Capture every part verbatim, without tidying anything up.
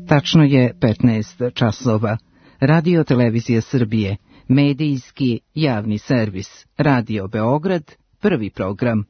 Tačno je petnaest časova. Radio Televizija Srbije, medijski javni servis, Radio Beograd, prvi program.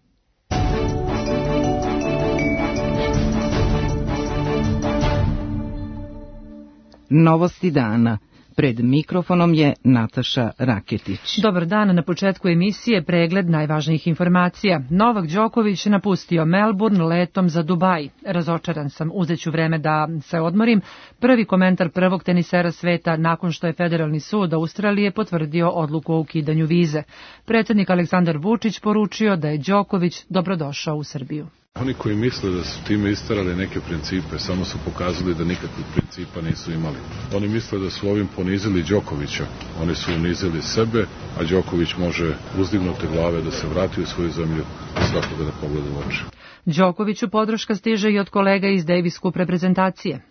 Novosti dana. Pred mikrofonom je Nataša Raketić. Dobar dan, na početku emisije pregled najvažnijih informacija. Novak Đoković napustio Melbourne letom za Dubaj. Razočaran sam, uzeću vreme da se odmorim. Prvi komentar prvog tenisera sveta nakon što je Federalni sud Australije potvrdio odluku o ukidanju vize. Predsjednik Aleksandar Vučić poručio da je Đoković dobrodošao u Srbiju. Oni koji misle da su time istarali neke principe, samo su pokazali da nikakvih principa nisu imali. Oni misle da su ovim ponizili Đokovića. Oni su unizili sebe, a Đoković može uzdignute glave da se vrati u svoju zemlju i svakoga da pogleda u oči. Đokoviću podrška stiže i od kolega iz Davis Cup reprezentacije.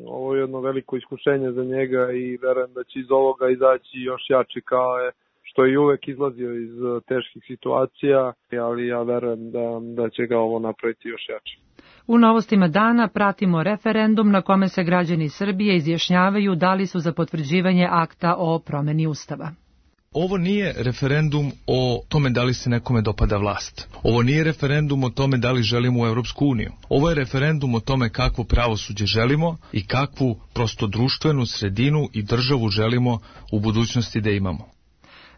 Ovo je jedno veliko iskušenje za njega i verujem da će iz ovoga izaći još jači kao je što je uvek izlazio iz teških situacija, ali ja verujem da, da će ga ovo napraviti još jače. U novostima dana pratimo referendum na kome se građani Srbije izjašnjavaju da li su za potvrđivanje akta o promeni Ustava. Ovo nije referendum o tome da li se nekome dopada vlast. Ovo nije referendum o tome da li želimo u Evropsku uniju. Ovo je referendum o tome kakvo pravosuđe želimo i kakvu prosto društvenu sredinu i državu želimo u budućnosti da imamo.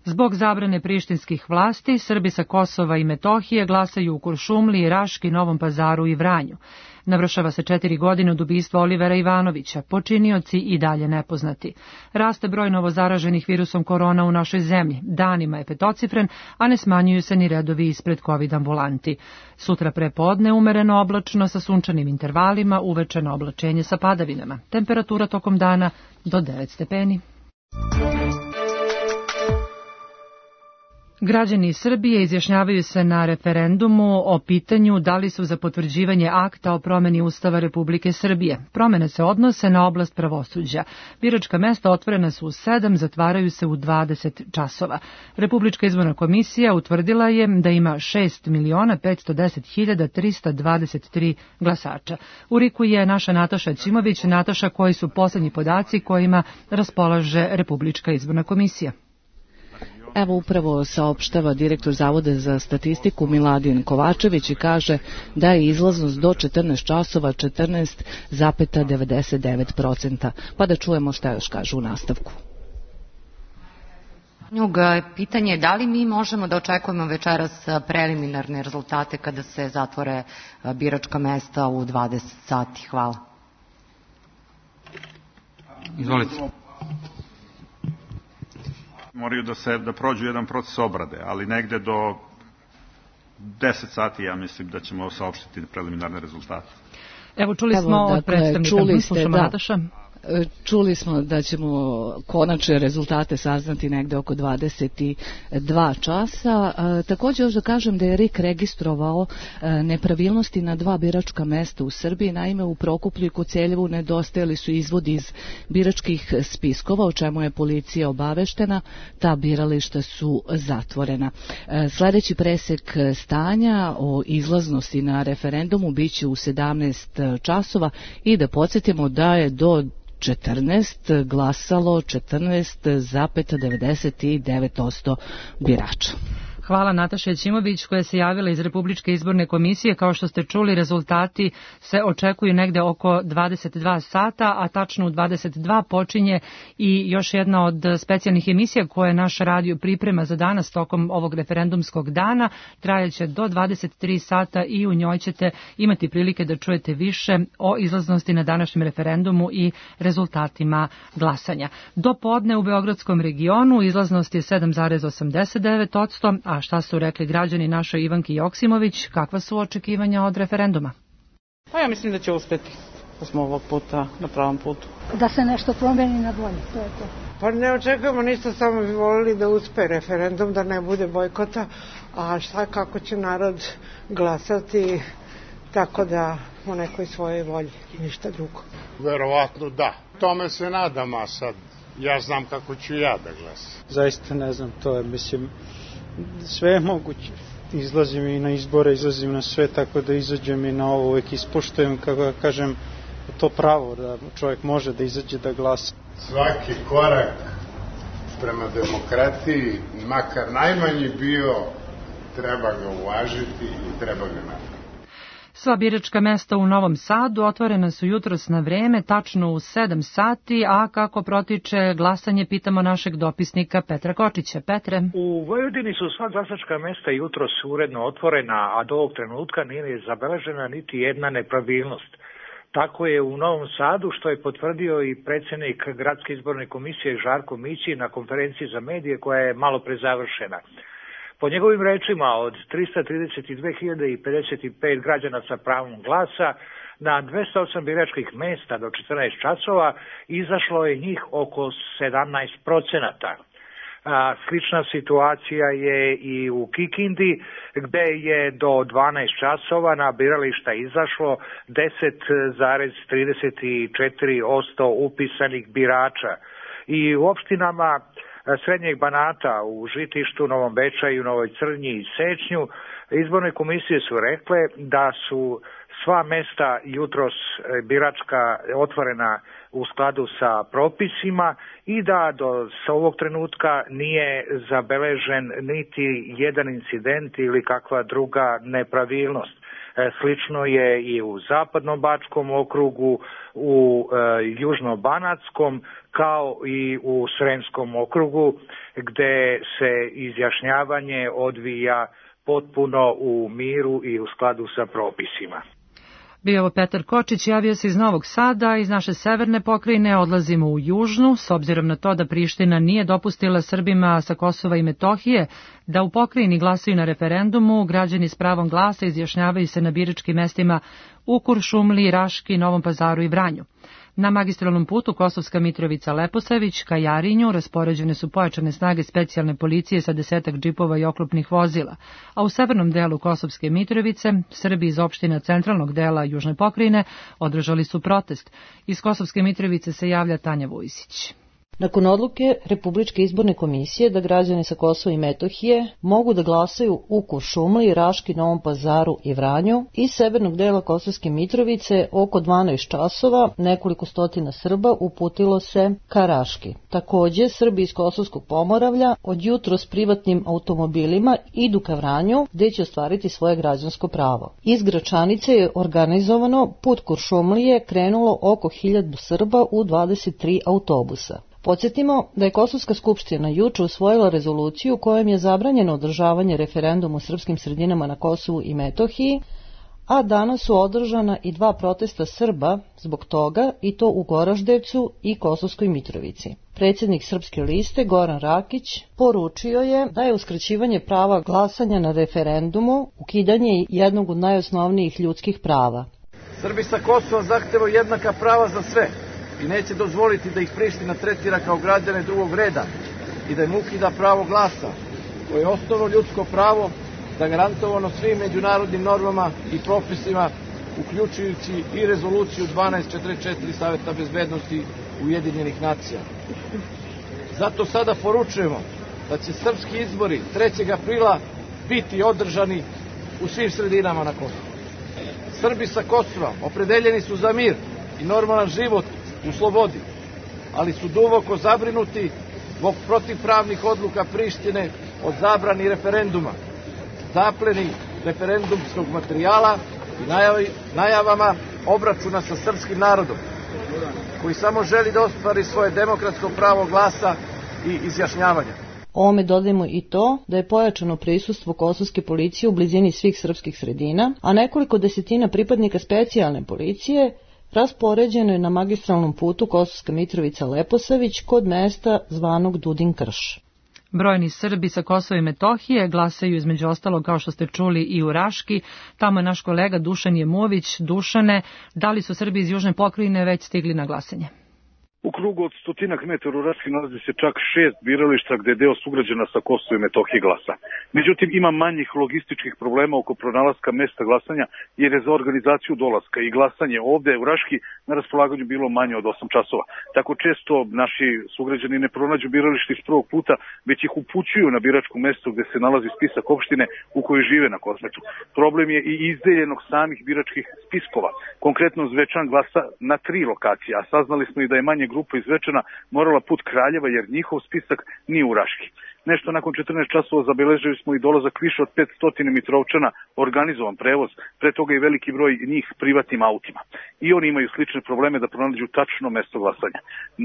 Zbog zabrane prištinskih vlasti, Srbi sa Kosova i Metohije glasaju u Kuršumliji, Raški, Novom Pazaru i Vranju. Navršava se četiri godine od ubistva Olivera Ivanovića, počinioci i dalje nepoznati. Raste broj novozaraženih virusom korona u našoj zemlji, danima je petocifren, a ne smanjuju se ni redovi ispred COVID ambulanti. Sutra prepodne umereno oblačno sa sunčanim intervalima, uvečeno oblačenje sa padavinama. Temperatura tokom dana do devet stepeni. Građani Srbije izjašnjavaju se na referendumu o pitanju da li su za potvrđivanje akta o promeni Ustava Republike Srbije. Promene se odnose na oblast pravosuđa. Biračka mesta otvorena su u sedam, zatvaraju se u dvadeset časova. Republička izborna komisija utvrdila je da ima šest miliona petsto deset hiljada trista dvadeset tri glasača. U Riku je naša Nataša Ćimović. Nataša, koji su poslednji podaci kojima raspolaže Republička izborna komisija? Evo upravo saopštava direktor Zavoda za statistiku Miladin Kovačević i kaže da je izlaznost do četrnaest časova četrnaest zarez devedeset devet posto. Pa da čujemo šta još kažu u nastavku. Pitanje je da li mi možemo da očekujemo večeras preliminarne rezultate kada se zatvore biračka mesta u dvadeset sati. Hvala. Izvolite. Moraju da se da prođu jedan proces obrade, ali negde do deset sati ja mislim da ćemo saopštiti preliminarne rezultate. Evo čuli smo Evo, od predstavnika, čuli ste, slušamo da. Nataša. Čuli smo da ćemo konačne rezultate saznati negde oko dvadeset dva časa. E, također još da kažem da je R I K registrovao e, nepravilnosti na dva biračka mesta u Srbiji. Naime, u Prokuplju i Koceljevu nedostajali su izvodi iz biračkih spiskova, o čemu je policija obaveštena. Ta birališta su zatvorena. E, sledeći presek stanja o izlaznosti na referendumu biće u sedamnaest časova i da podsjetimo da je do četrnaest glasalo četrnaest zarez devedeset devet posto birača. Hvala Nataša Ćimović koja se javila iz Republičke izborne komisije. Kao što ste čuli, rezultati se očekuju negde oko dvadeset dva sata, a tačno u dvadeset dva počinje i još jedna od specijalnih emisija koje naš radio priprema za danas tokom ovog referendumskog dana. Trajaće do dvadeset tri sata i u njoj ćete imati prilike da čujete više o izlaznosti na današnjem referendumu i rezultatima glasanja. Do podne u Beogradskom regionu izlaznost je sedam zarez osamdeset devet posto, a šta su rekli građani našoj Ivanki Joksimović, kakva su očekivanja od referenduma? Pa ja mislim da će uspeti, da smo ovog puta na pravom putu. Da se nešto promeni na bolje, to je to. Pa ne očekujemo ništa, samo bi volili da uspe referendum, da ne bude bojkota, a šta kako će narod glasati, tako da u nekoj svojoj volji, ništa drugo. Verovatno da, tome se nadam, a sad ja znam kako ću ja da glasam. Zaista ne znam, to je, mislim, sve je moguće. Izlazim i na izbore, izlazim na sve, tako da izađem i na ovo, uvek ispoštujem, kako kažem, to pravo da čovjek može da izađe da glasa. Svaki korak prema demokratiji, makar najmanji bio, treba ga uvažiti i treba ga napraviti. Sva biračka mesta u Novom Sadu otvorena su jutros na vreme, tačno u sedam sati, a kako protiče glasanje, pitamo našeg dopisnika Petra Kočića. Petre? U Vojvodini su sva glasačka mesta jutros uredno otvorena, a do ovog trenutka nije zabeležena niti jedna nepravilnost. Tako je u Novom Sadu, što je potvrdio i predsjednik Gradske izborne komisije Žarko Mići na konferenciji za medije koja je malo pre završena. Po njegovim rečima, od trista trideset dve hiljade pedeset pet građana sa pravom glasa na dvesta osam biračkih mesta do četrnaest časova izašlo je njih oko sedamnaest procenata. Slična situacija je i u Kikindi, gde je do dvanaest časova na birališta izašlo deset zarez trideset četiri posto upisanih birača. I u opštinama Srednjeg Banata, u Žitištu, Novom Bečaju, Novoj Crnji i Sečnju, izborne komisije su rekle da su sva mesta jutros biračka otvorena u skladu sa propisima i da do sa ovog trenutka nije zabeležen niti jedan incident ili kakva druga nepravilnost. Slično je i u Zapadno-Bačkom okrugu, u e, Južno-Banatskom, kao i u Sremskom okrugu, gde se izjašnjavanje odvija potpuno u miru i u skladu sa propisima. Bio ovo Petar Kočić, javio se iz Novog Sada, iz naše severne pokrajine odlazimo u južnu, s obzirom na to da Priština nije dopustila Srbima sa Kosova i Metohije da u pokrajini glasaju na referendumu, građani s pravom glasa izjašnjavaju se na biračkim mestima u Kuršumliji, Raški, Novom Pazaru i Vranju. Na magistralnom putu Kosovska Mitrovica-Leposavić ka Jarinju raspoređene su pojačane snage specijalne policije sa desetak džipova i oklopnih vozila, a u severnom delu Kosovske Mitrovice Srbi iz opština centralnog dela južne pokrajine održali su protest. Iz Kosovske Mitrovice se javlja Tanja Vujsić. Nakon odluke Republičke izborne komisije da građani sa Kosova i Metohije mogu da glasaju u Kuršumliji, Raški, Novom Pazaru i Vranju, iz severnog dela Kosovske Mitrovice oko dvanaest časova nekoliko stotina Srba uputilo se ka Raški. Takođe, Srbi iz Kosovskog Pomoravlja od jutro s privatnim automobilima idu ka Vranju, gde će ostvariti svoje građansko pravo. Iz Gračanice je organizovano put Kuršumlije krenulo oko hiljadu Srba u dvadeset tri autobusa. Podsjetimo da je Kosovska skupština juče usvojila rezoluciju kojom je zabranjeno održavanje referenduma u srpskim sredinama na Kosovu i Metohiji, a danas su održana i dva protesta Srba zbog toga, i to u Goraždevcu i Kosovskoj Mitrovici. Predsjednik Srpske liste Goran Rakić poručio je da je uskraćivanje prava glasanja na referendumu ukidanje jednog od najosnovnijih ljudskih prava. Srbi sa Kosova zahtevaju jednaka prava za sve i neće dozvoliti da ih Priština tretira kao građane drugog reda i da im ukida pravo glasa, koje je osnovno ljudsko pravo zagarantovano svim međunarodnim normama i propisima, uključujući i rezoluciju dvanaest četrdeset četiri Saveta bezbednosti Ujedinjenih nacija. Zato sada poručujemo da će srpski izbori trećeg aprila biti održani u svim sredinama na Kosovu. Srbi sa Kosova opredeljeni su za mir i normalan život u slobodi, ali su duboko zabrinuti zbog protivpravnih odluka Prištine od zabrani referenduma, zapleni referendumskog materijala i najavi, najavama obračuna sa srpskim narodom, koji samo želi da ostvari svoje demokratsko pravo glasa i izjašnjavanja. Ovome dodajemo i to da je pojačano prisustvo kosovske policije u blizini svih srpskih sredina, a nekoliko desetina pripadnika specijalne policije raspoređeno je na magistralnom putu Kosovska Mitrovica-Leposavić kod mesta zvanog Dudin Krš. Brojni Srbi sa Kosova i Metohije glasaju između ostalog, kao što ste čuli, i u Raški. Tamo je naš kolega Dušan Jemović. Dušane, da li su Srbi iz južne pokrajine već stigli na glasanje? U krugu od stotinak metara u Raški nalazi se čak šest birališta gde je deo sugrađana sa Kosova i Metohije glasa. Međutim, ima manjih logističkih problema oko pronalaska mesta glasanja, jer je za organizaciju dolaska i glasanje ovde u Raški na raspolaganju bilo manje od osam časova. Tako često naši sugrađani ne pronađu biralište iz prvog puta, već ih upućuju na biračko mesto gde se nalazi spisak opštine u kojoj žive na Kosmetu. Problem je i izdeljenog samih biračkih spiskova. Konkretno Zvečan glasa na tri lokacije, a saznali smo i da je manje grupa iz Zvečana morala put Kraljeva jer njihov spisak nije u Raški. Nešto nakon četrnaest časova zabeležili smo i dolazak više od petsto Mitrovčana, organizovan prevoz, pre toga i veliki broj njih privatnim autima. I oni imaju slične probleme da pronađu tačno mesto glasanja.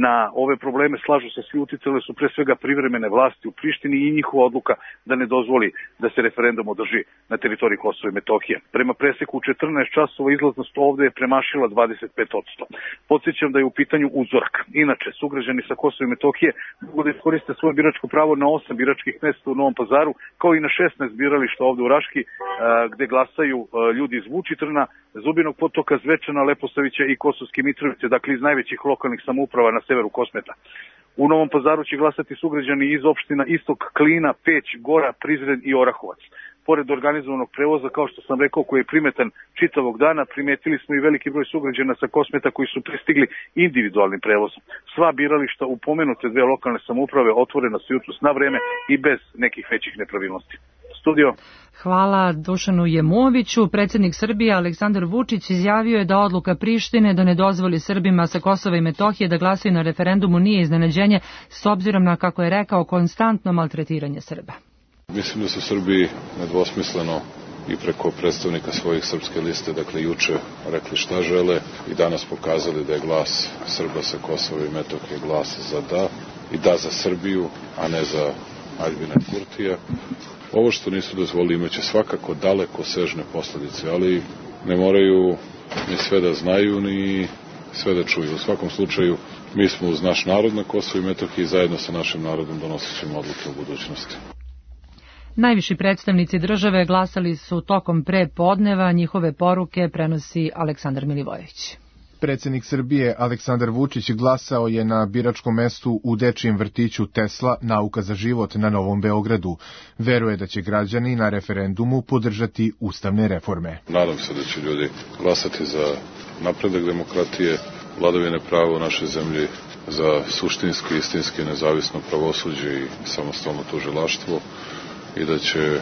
Na ove probleme slažu se svi, uticale su pre svega privremene vlasti u Prištini i njihova odluka da ne dozvoli da se referendum održi na teritoriji Kosova i Metohije. Prema preseku u četrnaest časova izlaznost ovde je premašila dvadeset pet posto. Podsjećam da je u pitanju uzorak. Inače, sugrađani sa Kosova i Metohije mogu da iskoriste svoje biračko pravo na osam biračkih mesta u Novom Pazaru, kao i na šesnaest birališta ovde u Raški, gde glasaju ljudi iz Vučitrna, Zubinog Potoka, Zvečana, Leposavića i Kosovske Mitrovice, dakle iz najvećih lokalnih samouprava na severu Kosmeta. U Novom Pazaru će glasati sugrađani iz opština Istok, Klina, Peć, Gora, Prizren i Orahovac. Pored organizovanog prevoza, kao što sam rekao, koji je primetan čitavog dana, primetili smo i veliki broj sugrađana sa Kosmeta koji su pristigli individualnim prevozom. Sva birališta u pomenute dve lokalne samouprave otvorena su jutros na vreme i bez nekih većih nepravilnosti. Studio. Hvala Dušanu Jemoviću. Predsjednik Srbije Aleksandar Vučić izjavio je da odluka Prištine da ne dozvoli Srbima sa Kosova i Metohije da glasaju na referendumu nije iznenađenje, s obzirom na, kako je rekao, konstantno maltretiranje Srba. Mislim da su Srbi nedvosmisleno i preko predstavnika svojih srpske liste, dakle juče, rekli šta žele i danas pokazali da je glas Srba sa Kosova i Metohije glas za da i da za Srbiju, a ne za Aljbina Kurtija. Ovo što nisu dozvolili imaće svakako daleko sežne posljedice, ali ne moraju ni sve da znaju, ni sve da čuju. U svakom slučaju, mi smo uz naš narod na Kosovu i Metohiji zajedno sa našim narodom donosit ćemo odluke u budućnosti. Najviši predstavnici države glasali su tokom pre podneva, njihove poruke prenosi Aleksandar Milivojević. Predsjednik Srbije Aleksandar Vučić glasao je na biračkom mestu u dečijem vrtiću Tesla Nauka za život na Novom Beogradu. Veruje da će građani na referendumu podržati ustavne reforme. Nadam se da će ljudi glasati za napredak demokratije, vladavine prava u našoj zemlji, za suštinski, istinski, nezavisno pravosuđe i samostalno tužilaštvo i da, će,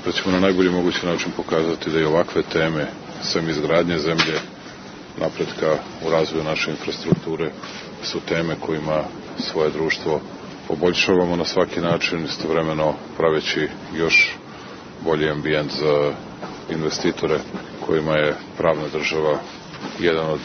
da ćemo na najbolji mogući način pokazati da i ovakve teme, sem izgradnje zemlje, napretka u razvoju naše infrastrukture, su teme kojima svoje društvo poboljšavamo na svaki način, istovremeno praveći još bolji ambijent za investitore kojima je pravna država jedan od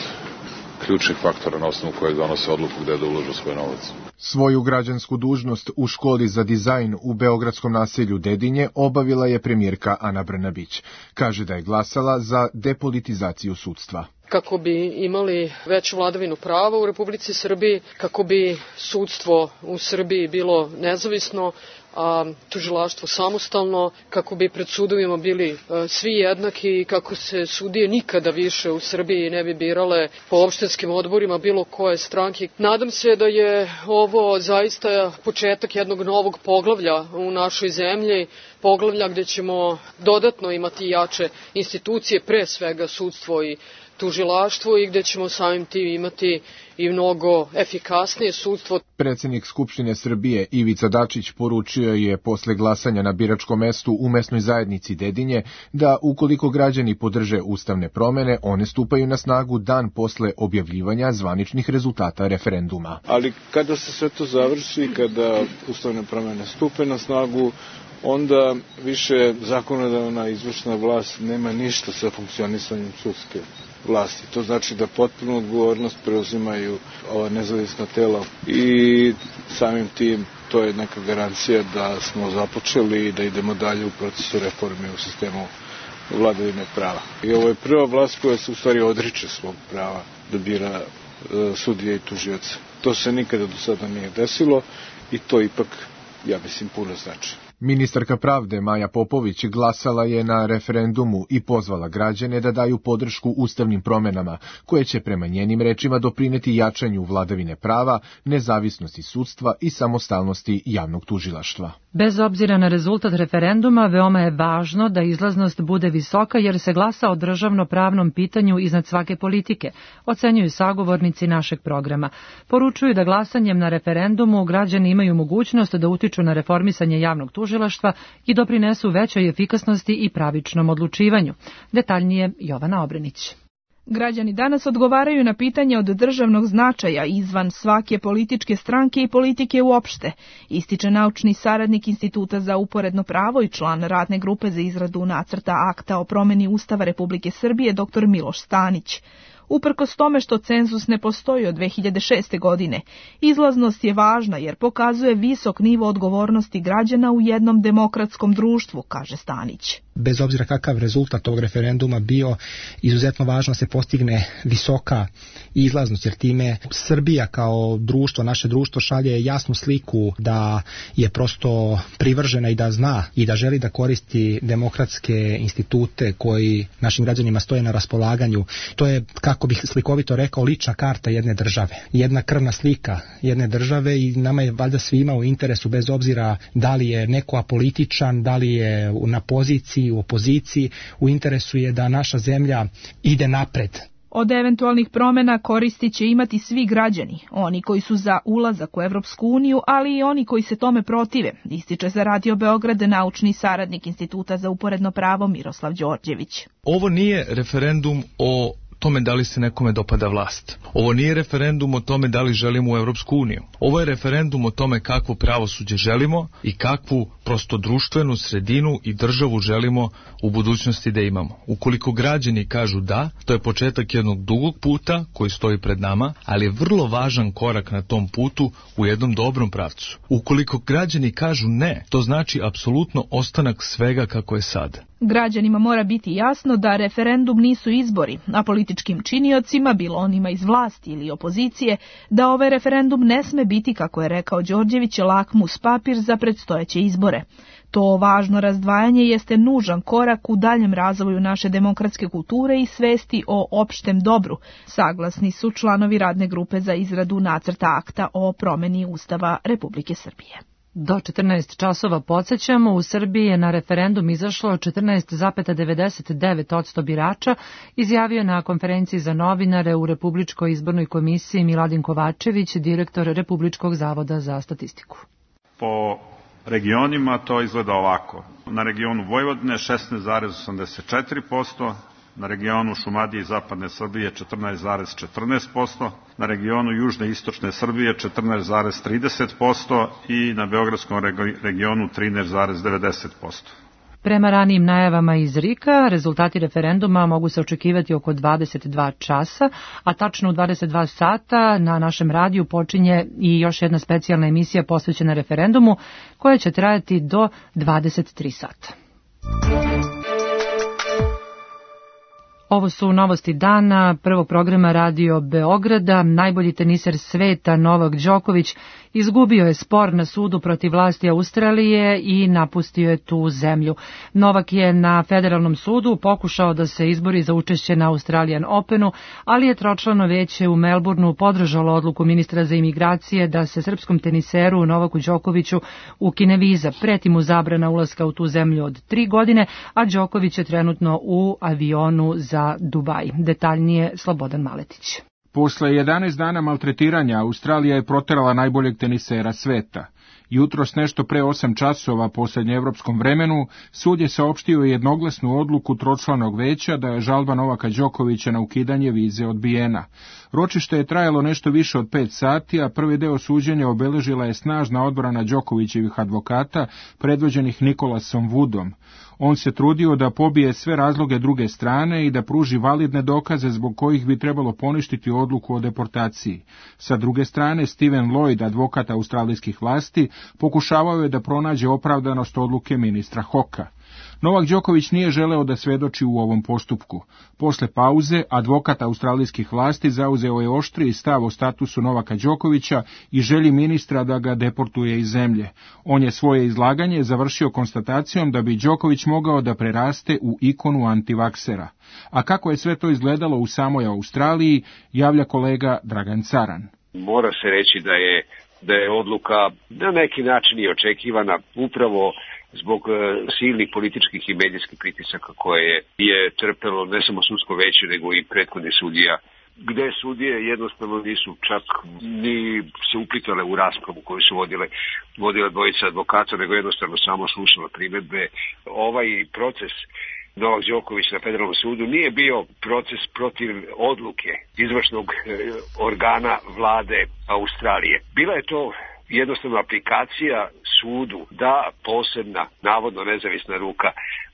ključnih faktora na osnovu kojeg donose odluku gde da uložu svoj novac. Svoju građansku dužnost u školi za dizajn u beogradskom naselju Dedinje obavila je premijerka Ana Brnabić. Kaže da je glasala za depolitizaciju sudstva. Kako bi imali veću vladavinu prava u Republici Srbiji, kako bi sudstvo u Srbiji bilo nezavisno, a tužilaštvo samostalno, kako bi pred sudovima bili svi jednaki i kako se sudije nikada više u Srbiji ne bi birale po opštinskim odborima bilo koje stranke. Nadam se da je ovo zaista početak jednog novog poglavlja u našoj zemlji, poglavlja gde ćemo dodatno imati jače institucije, pre svega sudstvo i tužilaštvo, i gde ćemo samim tim imati i mnogo efikasnije sudstvo. Predsjednik Skupštine Srbije Ivica Dačić poručio je posle glasanja na biračkom mestu u mesnoj zajednici Dedinje da ukoliko građani podrže ustavne promene, one stupaju na snagu dan posle objavljivanja zvaničnih rezultata referenduma. Ali kada se sve to završi, kada ustavne promene stupe na snagu, onda više zakonodavna izvršna vlast nema ništa sa funkcionisanjem sudske vlasti. To znači da potpunu odgovornost preuzimaju ova nezavisna tela i samim tim to je neka garancija da smo započeli i da idemo dalje u procesu reforme u sistemu vladavine prava. I ovo je prva vlast koja se u stvari odriče svog prava da bira sudije i tužioce. To se nikada do sada nije desilo i to ipak, ja mislim, puno znači. Ministarka pravde Maja Popović glasala je na referendumu i pozvala građane da daju podršku ustavnim promenama, koje će prema njenim rečima doprineti jačanju vladavine prava, nezavisnosti sudstva i samostalnosti javnog tužilaštva. Bez obzira na rezultat referenduma, veoma je važno da izlaznost bude visoka jer se glasa o državno-pravnom pitanju iznad svake politike, ocenjuju sagovornici našeg programa. Poručuju da glasanjem na referendumu građani imaju mogućnost da utiču na reformisanje javnog tužilaštva i doprinesu većoj efikasnosti i pravičnom odlučivanju. Detaljnije Jovana Obrenić. Građani danas odgovaraju na pitanje od državnog značaja izvan svake političke stranke i politike uopšte, ističe naučni saradnik Instituta za uporedno pravo i član radne grupe za izradu nacrta akta o promeni Ustava Republike Srbije dr Miloš Stanić. Uprkos tome što cenzus ne postoji od dve hiljade šeste. godine, izlaznost je važna jer pokazuje visok nivo odgovornosti građana u jednom demokratskom društvu, kaže Stanić. Bez obzira kakav rezultat tog referenduma bio, izuzetno važno se postigne visoka izlaznost, jer time Srbija kao društvo, naše društvo šalje jasnu sliku da je prosto privržena i da zna i da želi da koristi demokratske institute koji našim građanima stoje na raspolaganju. To je, kako bih slikovito rekao, lična karta jedne države, jedna krvna slika jedne države i nama je valjda svima u interesu, bez obzira da li je neko apolitičan, da li je na poziciji, u opoziciji, u interesu je da naša zemlja ide napred. Od eventualnih promjena koristi će imati svi građani, oni koji su za ulazak u Evropsku uniju, ali i oni koji se tome protive, ističe za Radio Beograd naučni saradnik Instituta za uporedno pravo Miroslav Đorđević. Ovo nije referendum o tome da li se nekome dopada vlast. Ovo nije referendum o tome da li želimo u Evropsku uniju. Ovo je referendum o tome kakvo pravosuđe želimo i kakvu prosto društvenu sredinu i državu želimo u budućnosti da imamo. Ukoliko građani kažu da, to je početak jednog dugog puta koji stoji pred nama, ali je vrlo važan korak na tom putu u jednom dobrom pravcu. Ukoliko građani kažu ne, to znači apsolutno ostanak svega kako je sad. Građanima mora biti jasno da referendum nisu izbori, a političkim činiocima, bilo onima iz vlasti ili opozicije, da ovaj referendum ne sme biti, kako je rekao Đorđević, lakmus papir za predstojeće izbore. To važno razdvajanje jeste nužan korak u daljem razvoju naše demokratske kulture i svesti o opštem dobru, saglasni su članovi radne grupe za izradu nacrta akta o promeni Ustava Republike Srbije. Do četrnaest časova podsjećamo, u Srbiji je na referendum izašlo četrnaest zarez devedeset devet posto birača, izjavio na konferenciji za novinare u Republičkoj izbornoj komisiji Miladin Kovačević, direktor Republičkog zavoda za statistiku. Po regionima to izgleda ovako. Na regionu Vojvodine šesnaest zarez osamdeset četiri posto, na regionu Šumadije i Zapadne Srbije četrnaest zarez četrnaest posto, na regionu Južne i Istočne Srbije četrnaest zarez trideset posto i na Beogradskom regionu trinaest zarez devedeset posto. Prema ranijim najavama iz RIK-a, rezultati referenduma mogu se očekivati oko dvadeset dva časa, a tačno u dvadeset dva sata na našem radiju počinje i još jedna specijalna emisija posvećena referendumu, koja će trajati do dvadeset tri sata. Ovo su novosti dana prvog programa Radio Beograda. Najbolji teniser sveta Novak Đoković izgubio je spor na sudu protiv vlasti Australije i napustio je tu zemlju. Novak je na federalnom sudu pokušao da se izbori za učešće na Australian Openu, ali je tročlano veće u Melbourneu podržalo odluku ministra za imigracije da se srpskom teniseru Novaku Đokoviću ukine viza. Preti mu zabrana ulaska u tu zemlju od tri godine, a Đoković je trenutno u avionu za Dubaj. Detaljnije Slobodan Maletić. Posle jedanaest dana maltretiranja, Australija je proterala najboljeg tenisera sveta. Jutros nešto pre osam časova po srednjeevropskom vremenu, sud je saopštio jednoglasnu odluku tročlanog veća da je žalba Novaka Đokovića na ukidanje vize odbijena. Ročište je trajalo nešto više od pet sati, a prvi deo suđenja obeležila je snažna odbrana Đokovićevih advokata, predvođenih Nikolasom Woodom. On se trudio da pobije sve razloge druge strane i da pruži validne dokaze zbog kojih bi trebalo poništiti odluku o deportaciji. Sa druge strane, Steven Lloyd, advokat australijskih vlasti, pokušavao je da pronađe opravdanost odluke ministra Hoka. Novak Đoković nije želeo da svedoči u ovom postupku. Posle pauze, advokat australijskih vlasti zauzeo je oštriji stav o statusu Novaka Đokovića i želji ministra da ga deportuje iz zemlje. On je svoje izlaganje završio konstatacijom da bi Đoković mogao da preraste u ikonu antivaksera. A kako je sve to izgledalo u samoj Australiji, javlja kolega Dragan Caran. Mora se reći da je, da je odluka na neki način i očekivana upravo zbog silnih političkih i medijskih pritisaka koje je trpelo ne samo sudsko veće nego i prethodni sudija, gde sudije jednostavno nisu čak ni se uplitale u raspravu koju su vodile, vodile dvojice advokata, nego jednostavno samo slušala primedbe. Ovaj proces Novak Đoković na federalnom sudu nije bio proces protiv odluke izvršnog organa vlade Australije. Bila je to jednostavno aplikacija sudu da posebna, navodno nezavisna ruka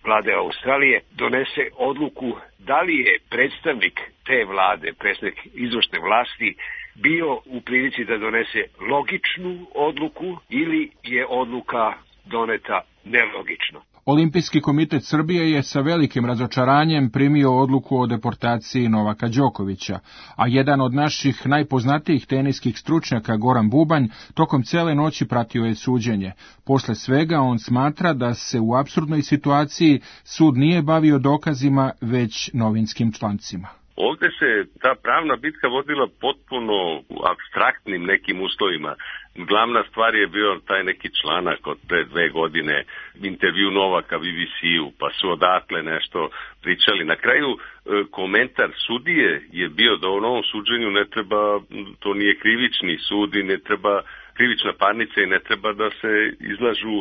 vlade Australije donese odluku da li je predstavnik te vlade, predstavnik izvršne vlasti, bio u prilici da donese logičnu odluku ili je odluka doneta nelogično. Olimpijski komitet Srbije je sa velikim razočaranjem primio odluku o deportaciji Novaka Đokovića, a jedan od naših najpoznatijih teniskih stručnjaka, Goran Bubanj, tokom cele noći pratio je suđenje. Posle svega on smatra da se u apsurdnoj situaciji sud nije bavio dokazima, već novinskim člancima. Ovde se ta pravna bitka vodila potpuno u apstraktnim nekim uslovima. Glavna stvar je bio taj neki članak od pre dve godine, intervju Novaka B B C-u, pa su odatle nešto pričali. Na kraju komentar sudije je bio da u novom suđenju ne treba, to nije krivični sud i ne treba krivična parnica i ne treba da se izlažu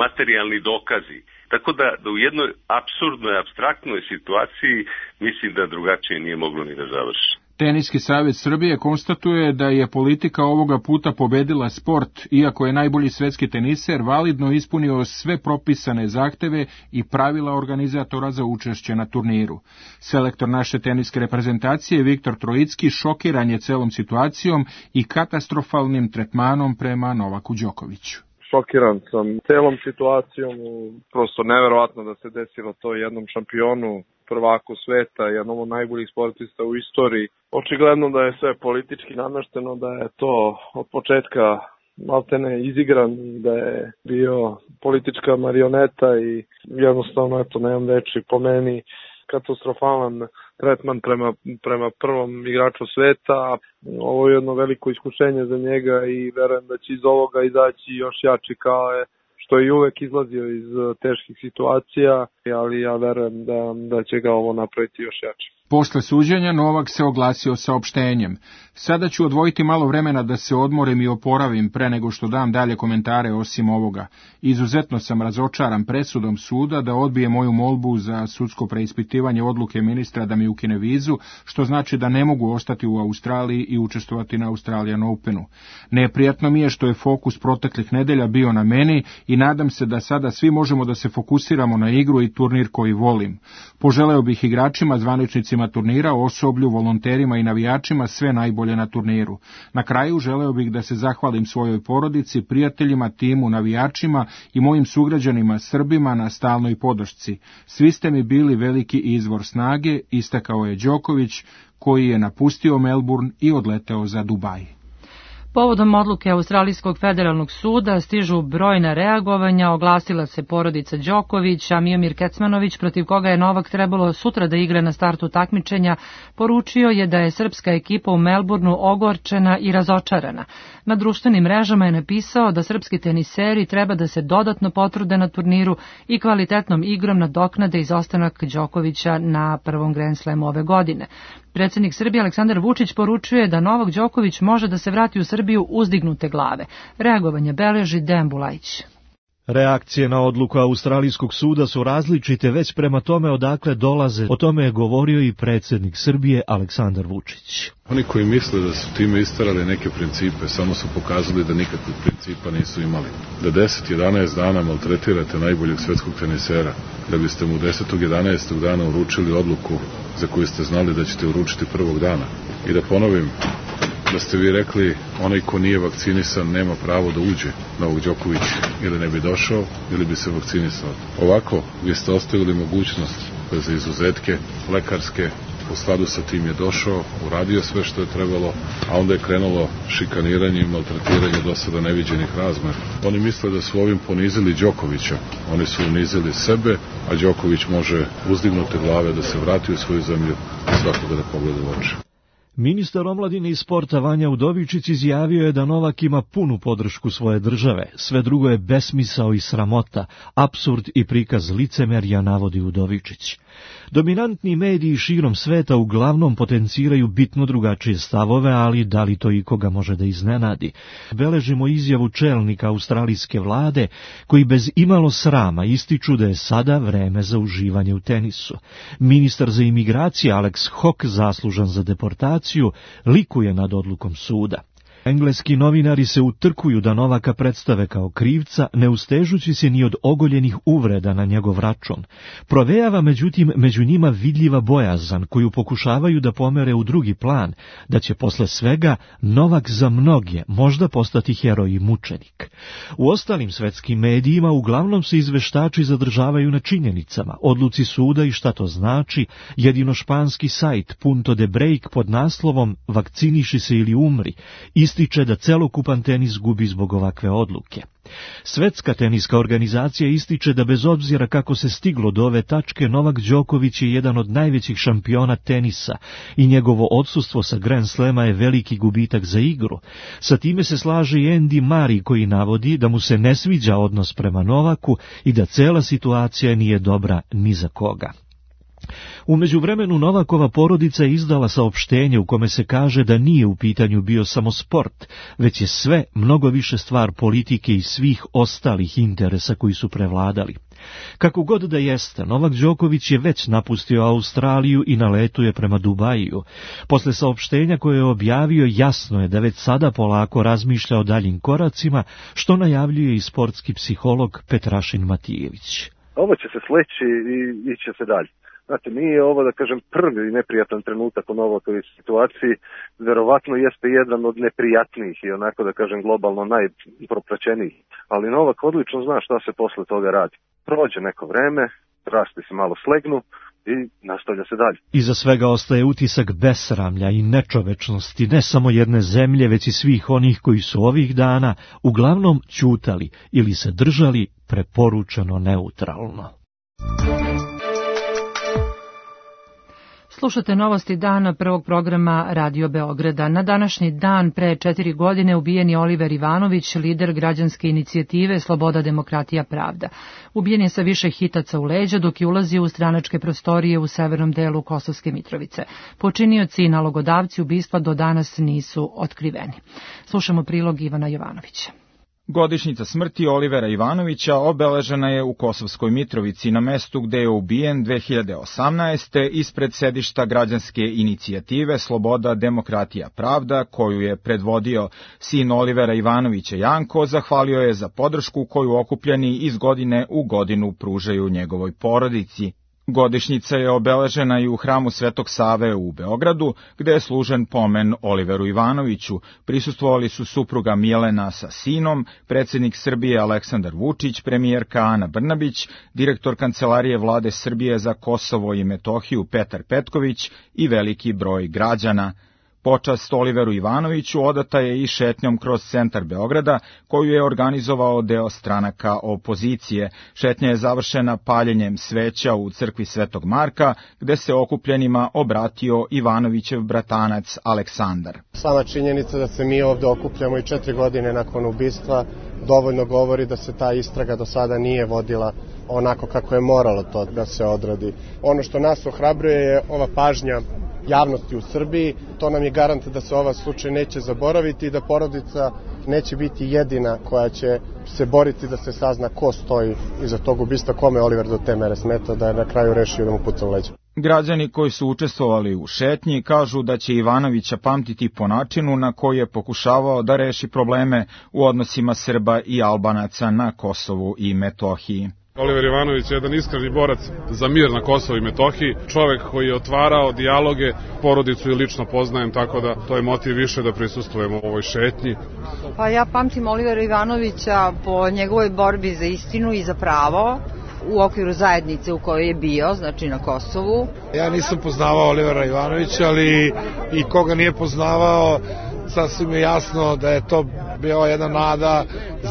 materijalni dokazi. Tako da, da u jednoj apsurdnoj, apstraktnoj situaciji mislim da drugačije nije moglo ni da završi. Teniski savez Srbije konstatuje da je politika ovoga puta pobedila sport, iako je najbolji svetski teniser validno ispunio sve propisane zahteve i pravila organizatora za učešće na turniru. Selektor naše teniske reprezentacije Viktor Trojicki šokiran je celom situacijom i katastrofalnim tretmanom prema Novaku Đokoviću. Šokiran sam celom situacijom, prosto neverovatno da se desilo to jednom šampionu, prvaku sveta, jednom od najboljih sportista u istoriji. Očigledno da je sve politički namešteno, da je to od početka maltene izigran, da je bio politička marioneta i jednostavno, eto, nemam reči, po meni katastrofalan tretman prema, prema prvom igraču sveta. Ovo je jedno veliko iskušenje za njega i verujem da će iz ovoga izaći još jači, kao je što je uvek izlazio iz teških situacija, ali ja verujem da, da će ga ovo napraviti još jače. Posle suđenja Novak se oglasio saopštenjem. Sada ću odvojiti malo vremena da se odmorim i oporavim pre nego što dam dalje komentare osim ovoga. Izuzetno sam razočaran presudom suda da odbije moju molbu za sudsko preispitivanje odluke ministra da mi ukine vizu, što znači da ne mogu ostati u Australiji i učestvovati na Australian Openu. Neprijatno mi je što je fokus proteklih nedelja bio na meni i nadam se da sada svi možemo da se fokusiramo na igru i turnir koji volim. Poželeo bih igračima, zvaničnicima turnira, osoblju, volonterima i navijačima sve najbolje na turniru. Na kraju želeo bih da se zahvalim svojoj porodici, prijateljima, timu, navijačima i mojim sugrađanima Srbima na stalnoj podršci. Svi ste mi bili veliki izvor snage, istakao je Đoković, koji je napustio Melbourne i odleteo za Dubaj. Povodom odluke Australijskog federalnog suda stižu brojna reagovanja, oglasila se porodica Đoković, a Miomir Kecmanović, protiv koga je Novak trebalo sutra da igra na startu takmičenja, poručio je da je srpska ekipa u Melbourneu ogorčena i razočarana. Na društvenim mrežama je napisao da srpski teniseri treba da se dodatno potrude na turniru i kvalitetnom igrom nadoknade izostanak Đokovića na prvom Grand Slamu ove godine. Predsjednik Srbije Aleksandar Vučić poručuje da Novak Đoković može da se vrati u Srbiju uzdignute glave. Reagovanje beleži Dejan Bulajić. Reakcije na odluku Australijskog suda su različite već prema tome odakle dolaze. O tome je govorio i predsjednik Srbije Aleksandar Vučić. Oni koji misle da su time istarali neke principe, samo su pokazali da nikakvih principa nisu imali. Da deset jedanaest dana maltretirate najboljeg svetskog tenisera, da biste mu desetog jedanaestog dana uručili odluku za koju ste znali da ćete uručiti prvog dana. I da ponovim, da ste vi rekli onaj ko nije vakcinisan nema pravo da uđe, Novak Đoković ili ne bi došao ili bi se vakcinisao. Ovako, vi ste ostavili mogućnost za izuzetke lekarske, u skladu sa tim je došao, uradio sve što je trebalo, a onda je krenulo šikaniranje i maltretiranje do sada neviđenih razmera. Oni misle da su ovim ponizili Đokovića, oni su unizili sebe, a Đoković može uzdignuti glave da se vrati u svoju zemlju i svakoga da pogleda u oči. Ministar omladine i sporta Vanja Udovičić izjavio je da Novak ima punu podršku svoje države. Sve drugo je besmisao i sramota, apsurd i prikaz licemerja, navodi Udovičić. Dominantni mediji širom sveta uglavnom potenciraju bitno drugačije stavove, ali da li to ikoga može da iznenadi? Beležimo izjavu čelnika australijske vlade, koji bez imalo srama ističu da je sada vreme za uživanje u tenisu. Ministar za imigracije Alex Hawke, zaslužan za deportaciju, likuje nad odlukom suda. Engleski novinari se utrkuju da Novaka predstave kao krivca, ne ustežući se ni od ogoljenih uvreda na njegov račun. Provejava međutim među njima vidljiva bojazan koju pokušavaju da pomere u drugi plan, da će posle svega Novak za mnoge možda postati heroj i mučenik. U ostalim svetskim medijima uglavnom se izveštači zadržavaju na činjenicama, odluci suda i šta to znači. Jedino španski sajt Punto de Break pod naslovom "Vakciniši se ili umri" ističe da celokupan tenis gubi zbog ovakve odluke. Svetska teniska organizacija ističe da bez obzira kako se stiglo do ove tačke, Novak Đoković je jedan od najvećih šampiona tenisa i njegovo odsustvo sa Grand Slema je veliki gubitak za igru. Sa time se slaže i Andy Murray, koji navodi da mu se ne sviđa odnos prema Novaku i da cela situacija nije dobra ni za koga. U međuvremenu Novakova porodica je izdala saopštenje u kome se kaže da nije u pitanju bio samo sport, već je sve mnogo više stvar politike i svih ostalih interesa koji su prevladali. Kako god da jeste, Novak Đoković je već napustio Australiju i na letu je prema Dubaju. Posle saopštenja koje je objavio, jasno je da već sada polako razmišlja o daljim koracima, što najavljuje i sportski psiholog Petrašin Matijević. Ovo će se sleći i iće se dalje. Znate, nije ovo, da kažem, prvi neprijatan trenutak u Novakovoj situaciji, verovatno jeste jedan od neprijatnijih i onako, da kažem, globalno najpropraćenijih. Ali Novak odlično zna šta se posle toga radi. Prođe neko vreme, rasti se malo slegnu i nastavlja se dalje. Iza svega ostaje utisak besramlja i nečovečnosti ne samo jedne zemlje, već i svih onih koji su ovih dana uglavnom ćutali ili se držali preporučeno neutralno. Slušate novosti dana prvog programa Radio Beograda. Na današnji dan pre četiri godine ubijen je Oliver Ivanović, lider građanske inicijative Sloboda, demokratija, pravda. Ubijen je sa više hitaca u leđa dok je ulazio u stranačke prostorije u severnom delu Kosovske Mitrovice. Počinioci i nalogodavci ubistva do danas nisu otkriveni. Slušamo prilog Ivana Jovanovića. Godišnjica smrti Olivera Ivanovića obeležena je u Kosovskoj Mitrovici na mestu gde je ubijen dve hiljade osamnaeste. ispred sedišta građanske inicijative Sloboda, demokratija, pravda, koju je predvodio sin Olivera Ivanovića Janko, zahvalio je za podršku koju okupljeni iz godine u godinu pružaju njegovoj porodici. Godišnjica je obeležena i u hramu Svetog Save u Beogradu, gde je služen pomen Oliveru Ivanoviću. Prisustvovali su supruga Milena sa sinom, predsjednik Srbije Aleksandar Vučić, premijerka Ana Brnabić, direktor Kancelarije vlade Srbije za Kosovo i Metohiju Petar Petković i veliki broj građana. Počast Oliveru Ivanoviću odata je i šetnjom kroz centar Beograda, koju je organizovao deo stranaka opozicije. Šetnja je završena paljenjem sveća u crkvi Svetog Marka, gde se okupljenima obratio Ivanovićev bratanac Aleksandar. Sama činjenica da se mi ovde okupljamo i četiri godine nakon ubistva dovoljno govori da se ta istraga do sada nije vodila onako kako je moralo to da se odradi. Ono što nas ohrabruje je ova pažnja javnosti u Srbiji. To nam je garant da se ova slučaj neće zaboraviti i da porodica neće biti jedina koja će se boriti da se sazna ko stoji iza tog ubistva, kome Oliver do te mere smeta da je na kraju rešio da mu puca u leđa. Građani koji su učestvovali u šetnji kažu da će Ivanovića pamtiti po načinu na koji je pokušavao da reši probleme u odnosima Srba i Albanaca na Kosovu i Metohiji. Oliver Ivanović je jedan iskreni borac za mir na Kosovu i Metohiji, čovek koji je otvarao dijaloge, porodicu i lično poznajem, tako da to je motiv više da prisustvujemo u ovoj šetnji. Pa ja pamtim Olivera Ivanovića po njegovoj borbi za istinu i za pravo u okviru zajednice u kojoj je bio, znači na Kosovu. Ja nisam poznavao Olivera Ivanovića, ali i koga nije poznavao, sasvim je jasno da je to bio jedna nada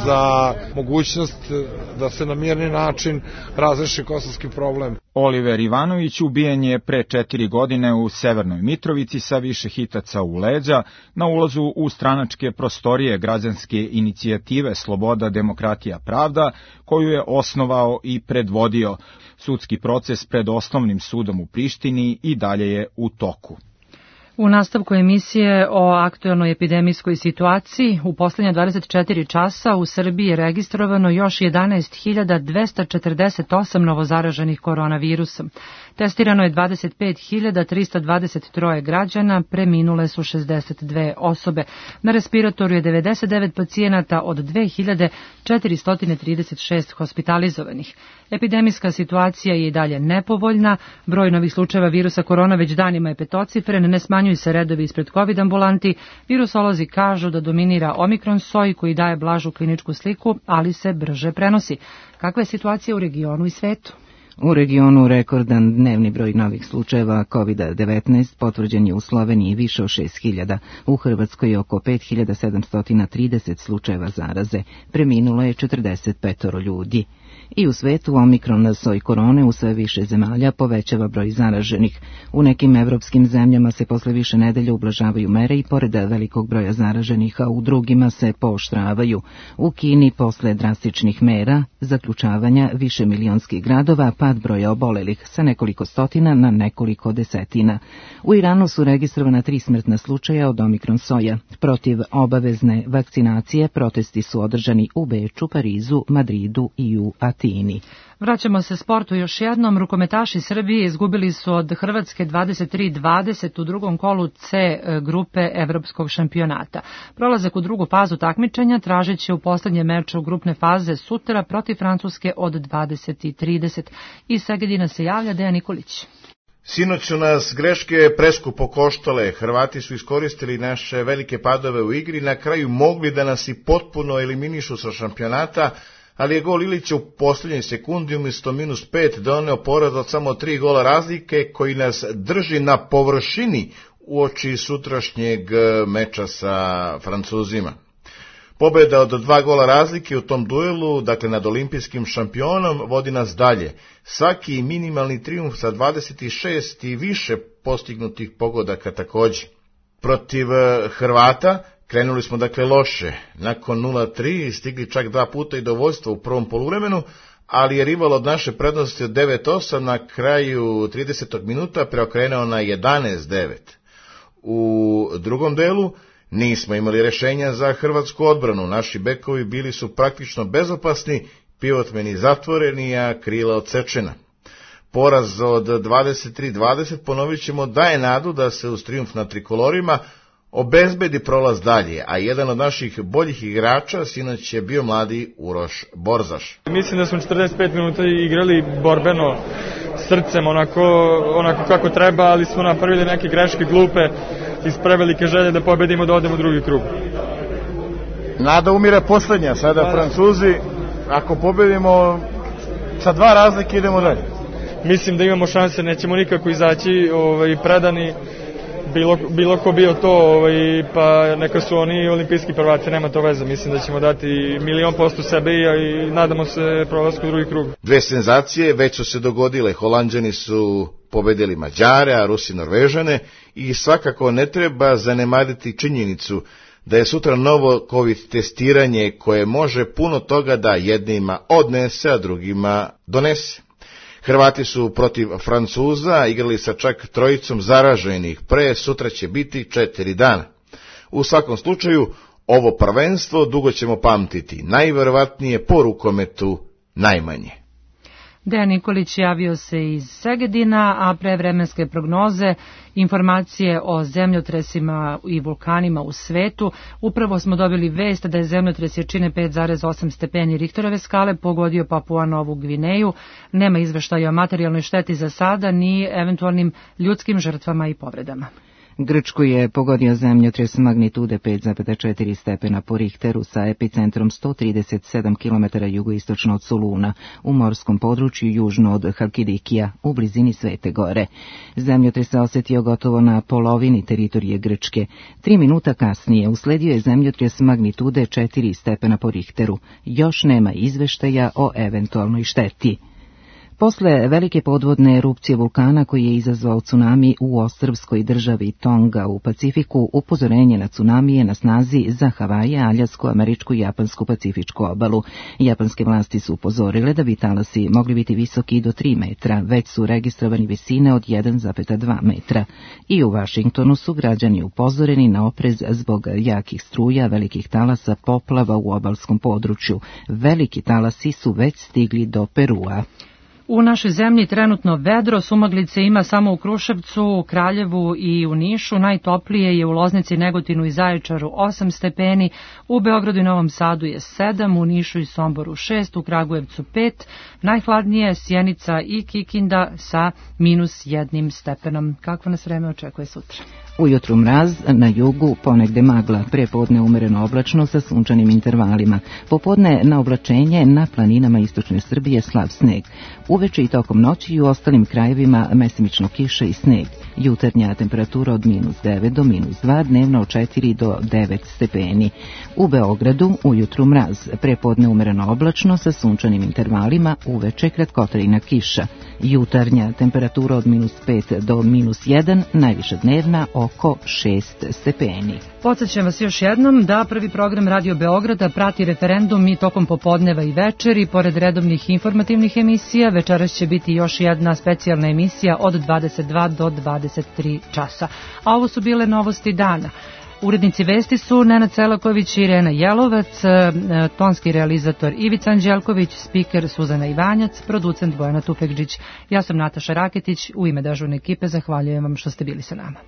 za mogućnost da se na mirni način razreši kosovski problem. Oliver Ivanović ubijen je pre četiri godine u Severnoj Mitrovici sa više hitaca u leđa na ulazu u stranačke prostorije građanske inicijative Sloboda, demokratija, pravda, koju je osnovao i predvodio. Sudski proces pred osnovnim sudom u Prištini i dalje je u toku. U nastavku emisije o aktuelnoj epidemijskoj situaciji u poslednja dvadeset četiri časa u Srbiji je registrovano još jedanaest hiljada dvesta četrdeset osam novozaraženih koronavirusom. Testirano je dvadeset pet hiljada trista dvadeset tri građana, preminule su šezdeset dve osobe. Na respiratoru je devedeset devet pacijenata od dve hiljade četiristo trideset šest hospitalizovanih. Epidemijska situacija je i dalje nepovoljna, broj novih slučajeva virusa korona već danima je petocifren, ne smanjuju se redovi ispred COVID ambulanti, virusolozi kažu da dominira omikron soj koji daje blažu kliničku sliku, ali se brže prenosi. Kakva je situacija u regionu i svetu? U regionu rekordan dnevni broj novih slučajeva kovid devetnaest potvrđen je u Sloveniji više od šest hiljada, u Hrvatskoj oko pet hiljada sedamsto trideset slučajeva zaraze, preminulo je četrdeset pet ljudi. I u svetu omikron soj korone u sve više zemalja povećava broj zaraženih. U nekim evropskim zemljama se posle više nedelja ublažavaju mere i pored velikog broja zaraženih, a u drugima se pooštravaju. U Kini posle drastičnih mera, zaključavanja više milionskih gradova, pad broja obolelih sa nekoliko stotina na nekoliko desetina. U Iranu su registrovana tri smrtna slučaja od omikron soja. Protiv obavezne vakcinacije protesti su održani u Beču, Parizu, Madridu i u Atini. Vraćamo se sportu još jednom. Rukometaši Srbije izgubili su od Hrvatske dvadeset tri dvadeset u drugom kolu C grupe evropskog šampionata. Prolazak u drugu fazu takmičenja tražit će u poslednjem meču grupne faze sutra protiv Francuske od dvadeset trideset. Iz Segedina se javlja Dejan Nikolić. Sinoć su nas greške preskupo koštale, Hrvati su iskoristili naše velike padove u igri, na kraju mogli da nas i potpuno eliminišu sa šampionata, ali je gol Ilića u posljednjoj sekundi umjesto minus pet doneo poraz od samo tri gola razlike koji nas drži na površini uoči sutrašnjeg meča sa Francuzima. Pobjeda od dva gola razlike u tom duelu, dakle nad olimpijskim šampionom, vodi nas dalje. Svaki minimalni trijumf sa dvadeset šest i više postignutih pogodaka također. Protiv Hrvata krenuli smo dakle loše. Nakon nula tri stigli čak dva puta i do vođstva u prvom poluvremenu, ali je rival od naše prednosti od devet osam na kraju tridesetog minuta preokrenuo na jedanaest devet. U drugom delu nismo imali rješenja za hrvatsku odbranu. Naši bekovi bili su praktično bezopasni, pivotmeni zatvoreni, a krila odsečena. Poraz od dvadeset tri dvadeset, ponovit ćemo, daje nadu da se uz trijumf na trikolorima obezbedi prolaz dalje, a jedan od naših boljih igrača sinoć je bio mladi Uroš Borzaš. Mislim da smo četrdeset pet minuta igrali borbeno, srcem, onako, onako kako treba, ali smo napravili neke greške glupe iz prevelike želje da pobedimo, da odemo u drugi krug. Nada umire poslednja, sada pa, Francuzi, ako pobedimo sa dva razlike idemo dalje. Mislim da imamo šanse, nećemo nikako izaći ovaj, predani, bilo, bilo ko bio to, ovaj, pa neka su oni olimpijski prvaci, nema to veze. Mislim da ćemo dati milion posto sebe i, i nadamo se prolasku u drugi krug. Dve senzacije već su se dogodile, Holanđani su pobedili Mađare, a Rusi Norvežane, i svakako ne treba zanemariti činjenicu da je sutra novo COVID testiranje koje može puno toga da jednima odnese, a drugima donese. Hrvati su protiv Francuza igrali sa čak trojicom zaraženih, pre sutra će biti četiri dana. U svakom slučaju, ovo prvenstvo dugo ćemo pamtiti, najverovatnije po rukometu najmanje. Dejan Nikolić javio se iz Segedina, a pre vremenske prognoze, informacije o zemljotresima i vulkanima u svetu. Upravo smo dobili vest da je zemljotres jačine pet zarez osam stepeni Richterove skale pogodio Papua Novu Gvineju. Nema izveštaja o materijalnoj šteti za sada ni eventualnim ljudskim žrtvama i povredama. Grčku je pogodio zemljotres magnitude pet zarez četiri stepena po Richteru sa epicentrom sto trideset sedam kilometara jugoistočno od Soluna u morskom području južno od Halkidikija u blizini Svete Gore. Zemljotres se osetio gotovo na polovini teritorije Grčke. Tri minuta kasnije usledio je zemljotres magnitude četiri stepena po Richteru. Još nema izveštaja o eventualnoj šteti. Posle velike podvodne erupcije vulkana koji je izazvao tsunami u ostrvskoj državi Tonga u Pacifiku, upozorenje na tsunami je na snazi za Havaje, Aljasku, Američku i Japansku pacifičku obalu. Japanske vlasti su upozorile da bi talasi mogli biti visoki do tri metra, već su registrovani visine od jedan zarez dva metra. I u Vašingtonu su građani upozoreni na oprez zbog jakih struja, velikih talasa, poplava u obalskom području. Veliki talasi su već stigli do Perua. U našoj zemlji trenutno vedro, sumaglice ima samo u Kruševcu, Kraljevu i u Nišu. Najtoplije je u Loznici, Negotinu i Zaječaru osam stepeni, u Beogradu i Novom Sadu je sedam, u Nišu i Somboru šest, u Kragujevcu pet, najhladnije je Sjenica i Kikinda sa minus jednim stepenom. Kakvo nas vreme očekuje sutra? Ujutru mraz, na jugu ponegde magla, prepodne umereno oblačno sa sunčanim intervalima. Popodne na oblačenje, na planinama istočne Srbije slab sneg. Uveče i tokom noći i u ostalim krajevima mesimično kiša i sneg. Jutarnja temperatura od minus devet do minus dva, dnevno od četiri do devet stepeni. U Beogradu ujutru mraz, prepodne umereno oblačno sa sunčanim intervalima, uveče kratkotrajna kiša. Jutarnja temperatura od minus pet do minus jedan, najviša dnevna oko šest stepeni. Podsjećam vas još jednom da prvi program Radio Beograda prati referendum i tokom popodneva i večeri. Pored redovnih informativnih emisija, večeras će biti još jedna specijalna emisija od dvadeset dva do dvadeset tri časa. A ovo su bile novosti dana. Urednici vesti su Nenad Selaković i Irena Jelovac, tonski realizator Ivica Anđelković, spiker Suzana Ivanjac, producent Bojana Tufekđić. Ja sam Nataša Raketić, u ime dežurne ekipe zahvaljujem vam što ste bili sa nama.